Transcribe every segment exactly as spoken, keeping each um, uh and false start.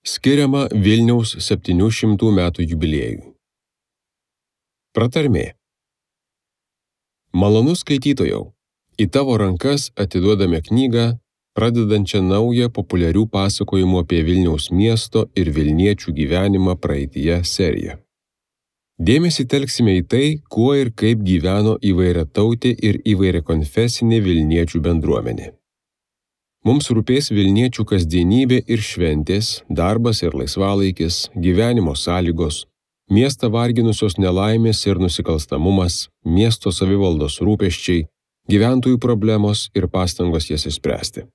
skiriama Vilniaus septynių šimtų metų jubiliejui. Pratarmė. Malonus skaitytojau, į tavo rankas atiduodame knygą, pradedančią naują populiarių pasakojimų apie Vilniaus miesto ir vilniečių gyvenimą praeityje seriją. Dėmesį telksime į tai, kuo ir kaip gyveno įvairiatautė ir įvairiakonfesinė vilniečių bendruomenė. Mums rūpės vilniečių kasdienybė ir šventės, darbas ir laisvalaikis, gyvenimo sąlygos, miestą varginusios nelaimės ir nusikalstamumas, miesto savivaldos rūpesčiai, gyventojų problemos ir pastangos jas išspręsti.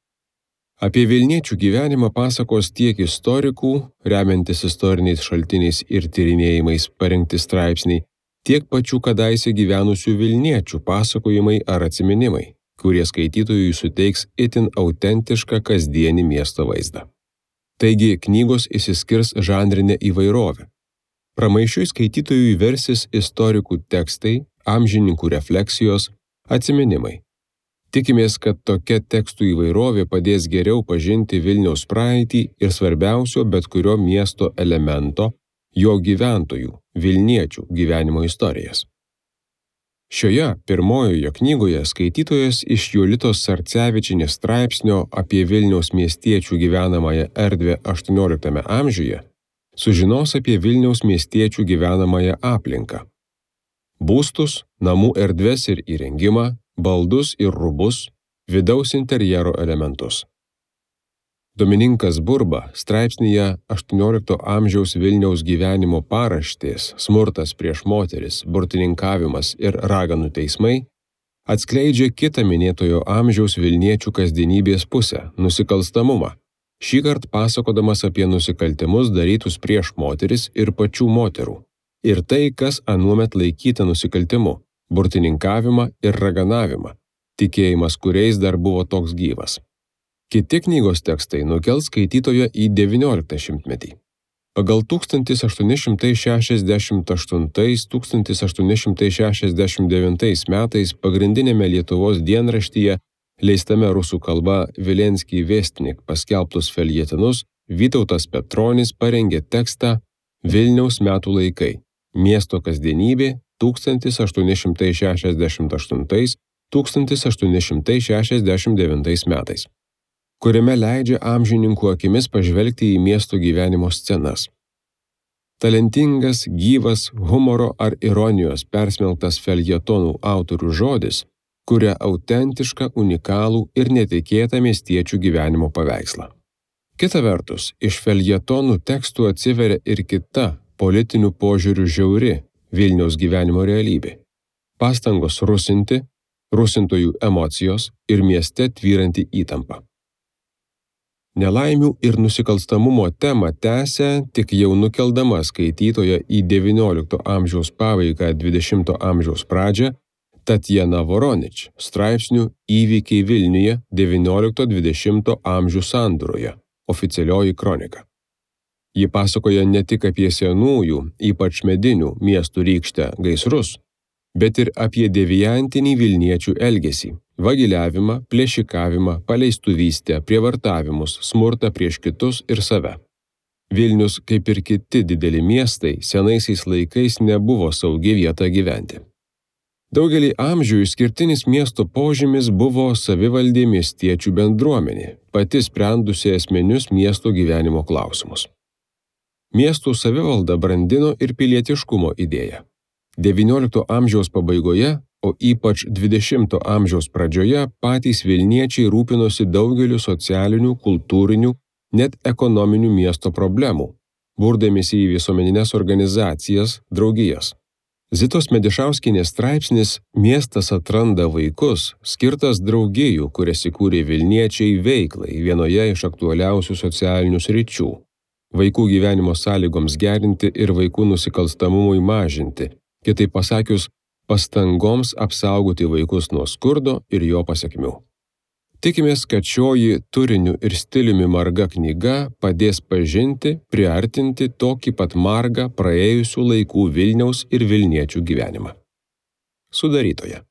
Apie vilniečių gyvenimą pasakos tiek istorikų, remiantis istoriniais šaltiniais ir tyrinėjimais parengti straipsniai, tiek pačių kadaise gyvenusių vilniečių pasakojimai ar atsiminimai, kurie skaitytojui suteiks itin autentišką kasdienį miesto vaizdą. Taigi knygos išsiskirs žanrinė įvairovė. Pramaišiui skaitytojui versis istorikų tekstai, amžininkų refleksijos, atsiminimai. Tikimės, kad tokia tekstų įvairovė padės geriau pažinti Vilniaus praeitį ir svarbiausio bet kurio miesto elemento, jo gyventojų, vilniečių gyvenimo istorijas. Šioje pirmojoje knygoje skaitytojas iš Jolitos Sarcevičienės straipsnio apie Vilniaus miestiečių gyvenamąją erdvę aštuonioliktame amžiuje sužinos apie Vilniaus miestiečių gyvenamąją aplinką. Būstus, namų erdves ir įrengimą, baldus ir rūbus, vidaus interjero elementus. Domininkas Burba straipsnyje aštuoniolikto amžiaus Vilniaus gyvenimo paraštės, smurtas prieš moteris, burtininkavimas ir raganų teismai atskleidžia kitą minėtojo amžiaus vilniečių kasdienybės pusę – nusikalstamumą, šįkart pasakodamas apie nusikaltimus darytus prieš moteris ir pačių moterų, ir tai, kas anuomet laikyta nusikaltimu – burtininkavimą ir raganavimą, tikėjimas kuriais dar buvo toks gyvas. Kiti knygos tekstai nukels skaitytoją į devynioliktą šimtmetį. Pagal tūkstantis aštuoni šimtai šešiasdešimt aštuntais - tūkstantis aštuoni šimtai šešiasdešimt devintais metais pagrindinėme Lietuvos dienraštyje, leistame rusų kalba Vilenskij Vestnik paskelbtus feljetonus, Vytautas Petronis parengė tekstą Vilniaus metų laikai – miesto kasdienybė tūkstantis aštuoni šimtai šešiasdešimt aštuntais - tūkstantis aštuoni šimtai šešiasdešimt devintais metais, kuriame leidžia amžininkų akimis pažvelgti į miesto gyvenimo scenas. Talentingas, gyvas, humoro ar ironijos persmelktas feljetonų autorių žodis kuria autentišką, unikalų ir netikėtą miestiečių gyvenimo paveikslą. Kita vertus, iš feljetonų tekstų atsiveria ir kita, politinių požiūrių žiauri Vilniaus gyvenimo realybė. Pastangos rusinti, rusintojų emocijos ir mieste tvyranti įtampa. Nelaimių ir nusikalstamumo temą tęsia tik jau nukeldama skaitytoją į devyniolikto amžiaus pabaigą dvidešimto amžiaus pradžią Tatjana Voronič straipsnių Įvykiai Vilniuje devyniolikto dvidešimto amžių sandūroje, oficialioji kronika. Ji pasakoja ne tik apie senųjų, ypač medinių miestų rykštę gaisrus, bet ir apie deviantinį vilniečių elgesį, vagiliavimą, plėšikavimą, paleistuvystę, prievartavimus, smurtą prieš kitus ir save. Vilnius, kaip ir kiti dideli miestai, senaisiais laikais nebuvo saugi vieta gyventi. Daugelį amžių išskirtinis miesto požymis buvo savivaldė miestiečių bendruomenė, pati sprendusi esminius miesto gyvenimo klausimus. Miestų savivalda brandino ir pilietiškumo idėją. devyniolikto amžiaus pabaigoje, o ypač dvidešimto amžiaus pradžioje patys vilniečiai rūpinosi daugeliu socialinių, kultūrinių, net ekonominių miesto problemų, burdamiesi į visuomenines organizacijas, draugijas. Zitos Medišauskienės straipsnis Miestas atranda vaikus, skirtas draugijų, kurias įkūrė vilniečiai veiklai vienoje iš aktualiausių socialinių sričių – vaikų gyvenimo sąlygoms gerinti ir vaikų nusikalstamumui mažinti, kitaip pasakius, pastangoms apsaugoti vaikus nuo skurdo ir jo pasekmių. Tikimės, kad šioji turiniu ir stiliumi marga knyga padės pažinti, priartinti tokį pat margą praėjusių laikų Vilniaus ir vilniečių gyvenimą. Sudarytoja.